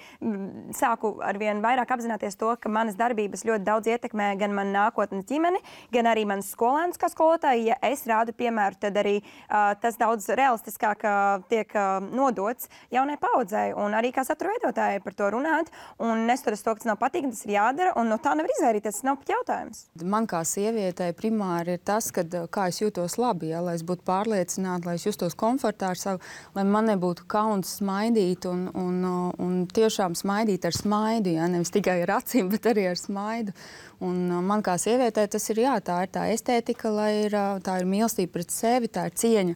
sāku arvien vairāk apzināties to, ka manas darbības ļoti daudz ietekmē gan manu nākotnes ģimeni, gan arī manas skolēnus kā skolotāji. Ja es rādu piemēru, tad arī tas daudz realistiskāk tiek nodots jaunai paudzei un arī kā satura veidotājai par to runāt. Un nestoties to, ka tas nav patīkami, tas ir jādara, un no tā nevar izvairīties, tas nav pat jautājums. Man kā sievietei primāri ir tas, kā es jūtos labi, ja, lai es būtu pārliecināta, lai es justos komfortā ar savu, lai man nebūtu kauns smaidīt un tiešām smaidīt ar smaidu, ja, nevis tikai ar acīm, bet arī ar smaidu. Un man kā sievietei tas ir, jā, tā ir tā estētika, tā ir mīlestība pret sevi, tā ir cieņa.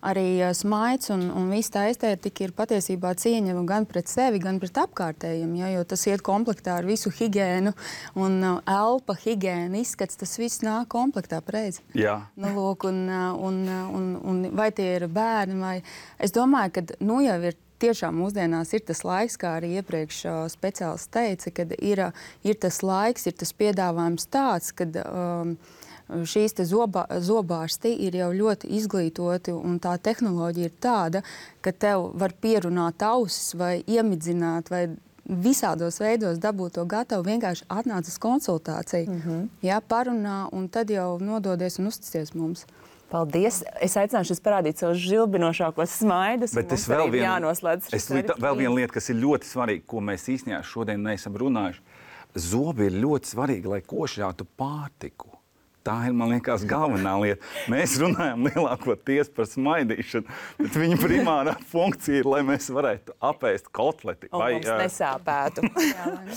Arī smaids un viss tā estētika ir patiesībā cieņa gan pret sevi, gan pret apkārtējiem, ja, jo tas iet komplektā ar visu higiēnu un elpa, higiēna, izskats, tas viss nāk komplektā preizi. Jā. Nu, lūk, un vai tie ir bērni, vai... Es domāju, ka jau ir tiešām mūsdienās ir tas laiks, kā arī iepriekš speciālists teica, kad ir tas laiks, ir tas piedāvājums tāds, kad šīs te zobārsti ir jau ļoti izglītoti, un tā tehnoloģija ir tāda, ka tev var pierunāt ausis vai iemidzināt vai visādos veidos dabūt to gatavu, vienkārši atnāc uz konsultāciju, jā, parunā, un tad jau nododies un uzticies mums. Paldies! Es aicināšu jūs parādīt savus žilbinošākos smaidus. Bet es vēl viena lieta, kas ir ļoti svarīga, ko mēs īstenībā šodien neesam runājuši. Zobi ir ļoti svarīgi, lai košļātu pārtiku. Tā ir, man liekas, galvenā lieta. Mēs runājam lielākoties par smaidīšanu, bet viņa primārā funkcija ir, lai mēs varētu apēst kotleti. Un mums nesāpētu.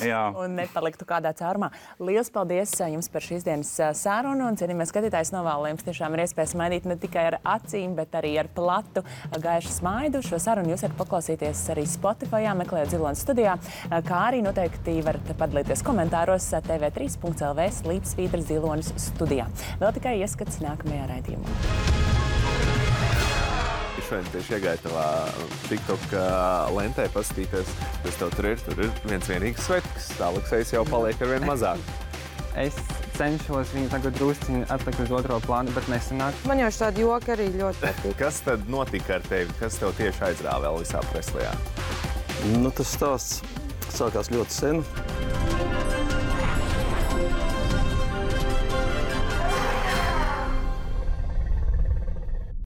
Jā. Un nepaliktu kādā caurumā. Liels paldies jums par šīs dienas sarunu, un cienījamie skatītājs novēlu jums tiešām ir iespēja smaidīt ne tikai ar acīm, bet arī ar platu gaišu smaidu. Šo sarunu jūs varat paklausīties arī Spotifyā, meklējot Zilonas studijā, kā arī noteikti varat padalīties komentāros tv3.lv/Zilonas studijā. Vēl tikai ieskats nākamajā raidījumā. Šodien tieši iegāju tavā TikTok lentē paskatīties, kas tev tur ir viens vienīgs svetks, Aleksejs jau paliek ar vien mazāk. Es cenšos viņu tagad drusciņi atlikt uz otro plānu, bet nesanāk. Man jau šādi joki arī ļoti patīk. Kas tad notika ar tevi? Kas tev tieši aizrāva Elvisā Preslijā? Tas stāsts sākās ļoti sen.